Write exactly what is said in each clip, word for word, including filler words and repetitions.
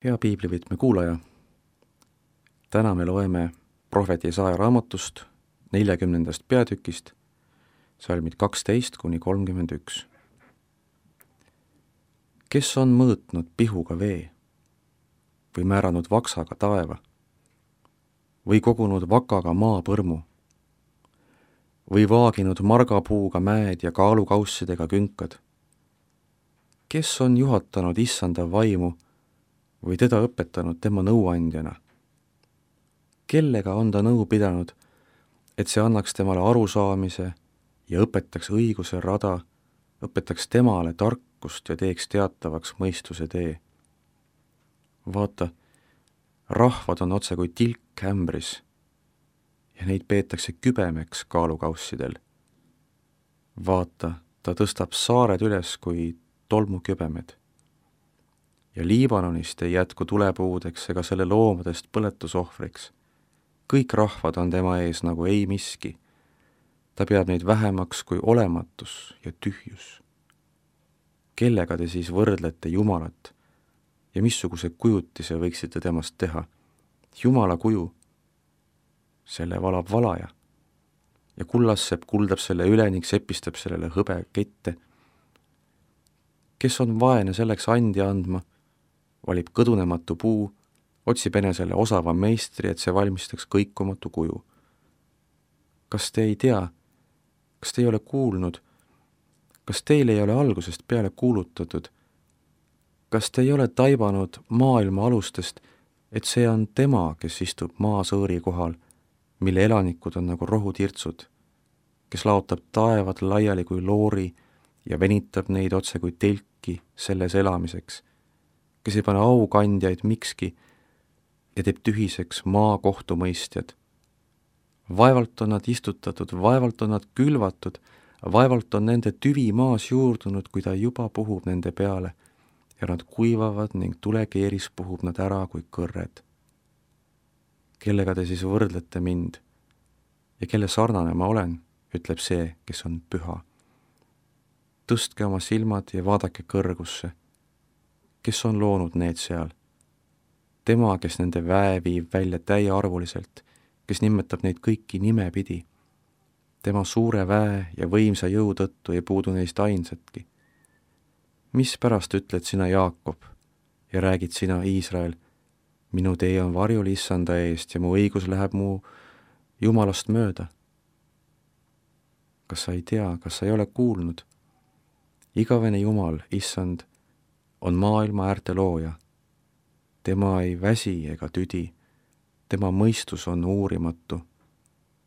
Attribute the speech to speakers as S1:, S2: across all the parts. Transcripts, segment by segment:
S1: Hea piiblivõtme kuulaja, täna me loeme prohvet Jesaja raamatust neljakümnendast peatükist, salmid kaksteist kuni kolmkümmend üks. Kes on mõõtnud pihuga vee või määranud vaksaga taeva või kogunud vakaga maapõrmu või vaaginud margapuuga mäed ja kaalukaussidega künkad? Kes on juhatanud issanda vaimu või teda õpetanud tema nõuandjana? Kellega on ta nõu pidanud, et see annaks temale arusaamise ja õpetaks õiguse rada, õpetaks temale tarkust ja teeks teatavaks mõistuse tee? Vaata, rahvad on otse kui tilk ämbris ja neid peetakse kübemeks kaalukaussidel. Vaata, ta tõstab saared üles kui tolmukübemed. Ja Liibanonist ei jätku tulepuudeks ega selle loomadest põletusohvriks. Kõik rahvad on tema ees nagu ei miski. Ta peab neid vähemaks kui olematus ja tühjus. Kellega te siis võrdlete Jumalat ja missuguse kujutise võiksite temast teha? Jumala kuju, selle valab valaja ja kullassepp kuldab selle üle ning sepistab sellele hõbe kette. Kes on vaene selleks andi andma, valib kõdunematu puu, otsib enesele osava meistri, et see valmistaks kõikumatu kuju. Kas te ei tea, kas te ei ole kuulnud, kas teil ei ole algusest peale kuulutatud, kas te ei ole taibanud maailma alustest, et see on tema, kes istub maasõõri kohal, mille elanikud on nagu rohutirtsud, kes laotab taevad laiali kui loori ja venitab neid otse kui telki selles elamiseks, kes ei pane aukandjaid mikski ja teeb tühiseks maa kohtumõistjad. Vaevalt on nad istutatud, vaevalt on nad külvatud, vaevalt on nende tüvi maas juurdunud, kui ta juba puhub nende peale ja nad kuivavad ning tulekeeris puhub nad ära kui kõrred. Kellega te siis võrdlete mind ja kelle sarnane ma olen, ütleb see, kes on püha. Tõstke oma silmad ja vaadake kõrgusse. Kes on loonud need seal? Tema, kes nende väe viib välja täiearvuliselt, kes nimetab neid kõiki nimepidi. Tema suure väe ja võimsa jõu tõttu ei puudu neist ainsatki. Mis pärast ütled sina Jaakob ja räägid sina Iisrael, minu tee on varjul issanda eest ja mu õigus läheb mu Jumalast mööda? Kas sa ei tea, kas sa ei ole kuulnud? Igavene Jumal, issand, on maailma äärte looja. Tema ei väsi ega tüdi, tema mõistus on uurimatu.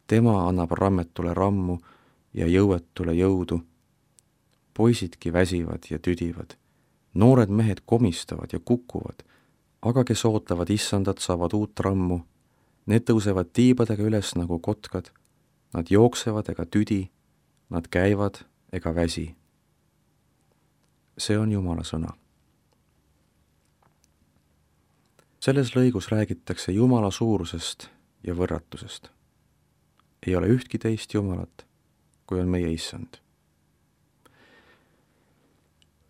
S1: Tema annab rammetule rammu ja jõuetule jõudu. Poisidki väsivad ja tüdivad, noored mehed komistavad ja kukuvad, aga kes ootavad issandat, saavad uut rammu. Need tõusevad tiibadega üles nagu kotkad, nad jooksevad ega tüdi, nad käivad ega väsi. See on Jumala sõna. Selles lõigus räägitakse Jumala suurusest ja võrratusest. Ei ole ühtki teist Jumalat, kui on meie issand.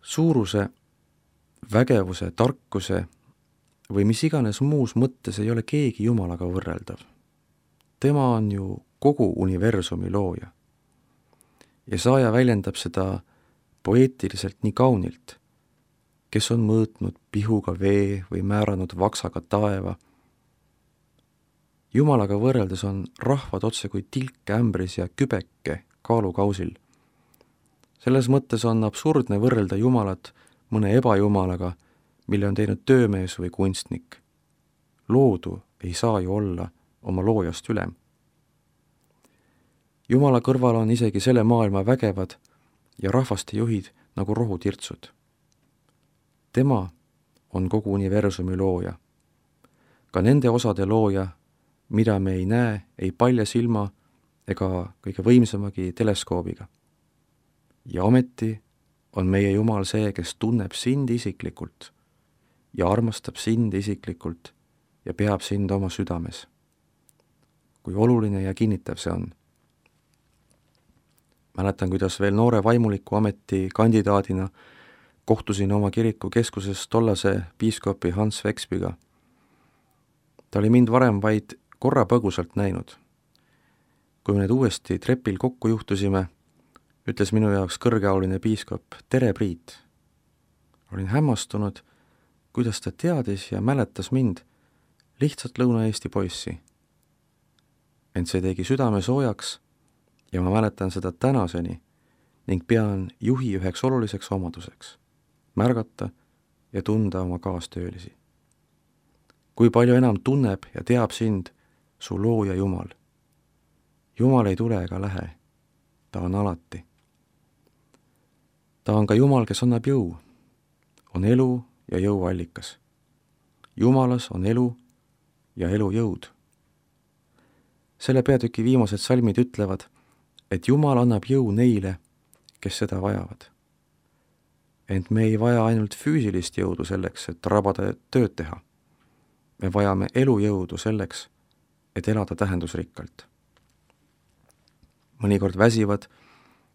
S1: Suuruse, vägevuse, tarkuse või mis iganes muus mõttes ei ole keegi Jumalaga võrreldav. Tema on ju kogu universumi looja. Jesaja väljendab seda poeetiliselt nii kaunilt, kes on mõõtnud pihuga vee või määranud vaksaga taeva. Jumalaga võrreldes on rahvad otse kui tilk ämbris ja kübeke kaalukausil. Selles mõttes on absurdne võrrelda Jumalat mõne ebajumalaga, mille on teinud töömees või kunstnik. Loodu ei saa ju olla oma loojast ülem. Jumala kõrval on isegi selle maailma vägevad ja rahvaste juhid nagu rohutirtsud. Tema on kogu universumi looja. Ka nende osade looja, mida me ei näe, ei palja silma ega kõige võimsamagi teleskoobiga. Ja ometi on meie Jumal see, kes tunneb sind isiklikult ja armastab sind isiklikult ja peab sind oma südames. Kui oluline ja kinnitav see on. Mäletan, kuidas veel noore vaimuliku ameti kandidaadina kohtusin oma kiriku keskuses tollase piiskopi Hans Vexbyga. Ta oli mind varem vaid korra põgusalt näinud. Kui me nüüd uuesti trepil kokku juhtusime, ütles minu jaoks kõrgeauline piiskop, tere Priit. Olin hämmastunud, kuidas ta teadis ja mäletas mind, lihtsalt Lõuna-Eesti poissi. Ent see tegi südame soojaks ja ma mäletan seda tänaseni ning pean juhi üheks oluliseks omaduseks, märgata ja tunda oma kaastöölisi. Kui palju enam tunneb ja teab sind su looja Jumal. Jumal ei tule ega lähe, ta on alati. Ta on ka Jumal, kes annab jõu, on elu ja jõu allikas. Jumalas on elu ja elu jõud. Selle peatüki viimased salmid ütlevad, et Jumal annab jõu neile, kes seda vajavad. Ent me ei vaja ainult füüsilist jõudu selleks, et rabada tööd teha. Me vajame elujõudu selleks, et elada tähendusrikkalt. Mõnikord väsivad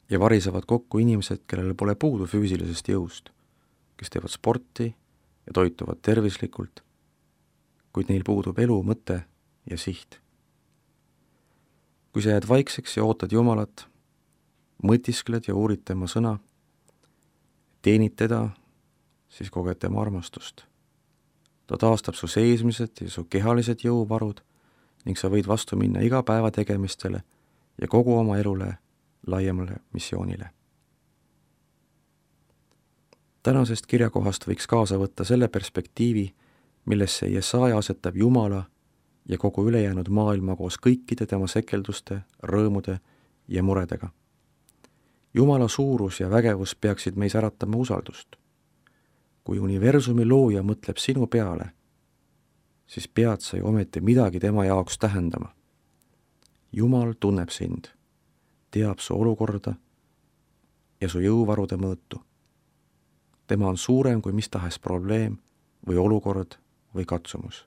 S1: ja varisevad kokku inimesed, kellel pole puudu füüsilisest jõust, kes teevad sporti ja toituvad tervislikult, kuid neil puudub elu, mõte ja siht. Kui sa jääd vaikseks ja ootad Jumalat, mõtiskled ja uurid tema sõna, teenid teda, siis koged tema armastust. Ta taastab su seesmised ja su kehalised jõuvarud ning sa võid vastu minna iga päeva tegemistele ja kogu oma elule laiemale missioonile. Tänasest kirjakohast võiks kaasa võtta selle perspektiivi, millesse Jesaja asetab Jumala ja kogu ülejäänud maailma koos kõikide tema sekelduste, rõõmude ja muredega. Jumala suurus ja vägevus peaksid meis äratama usaldust. Kui universumi looja mõtleb sinu peale, siis pead sa ju ometi midagi tema jaoks tähendama. Jumal tunneb sind, teab su olukorda ja su jõuvarude mõõtu. Tema on suurem kui mis tahes probleem või olukord või katsumus.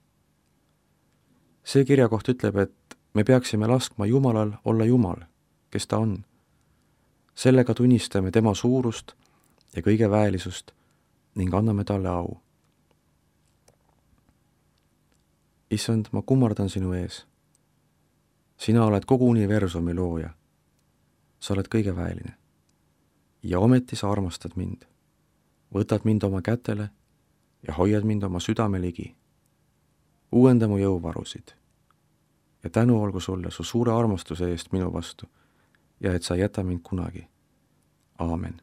S1: See kirjakoht ütleb, et me peaksime laskma Jumalal olla Jumal, kes ta on. Sellega tunnistame tema suurust ja kõige väelisust ning anname talle au. Issand, ma kummardan sinu ees. Sina oled kogu universumi looja. Sa oled kõige väeline. Ja ometi sa armastad mind. Võtad mind oma kätele ja hoiad mind oma südame ligi. Uuenda mu jõuvarusid. Ja tänu olgu sulle su suure armastuse eest minu vastu ja et sa ei jäta mind kunagi. Aamen.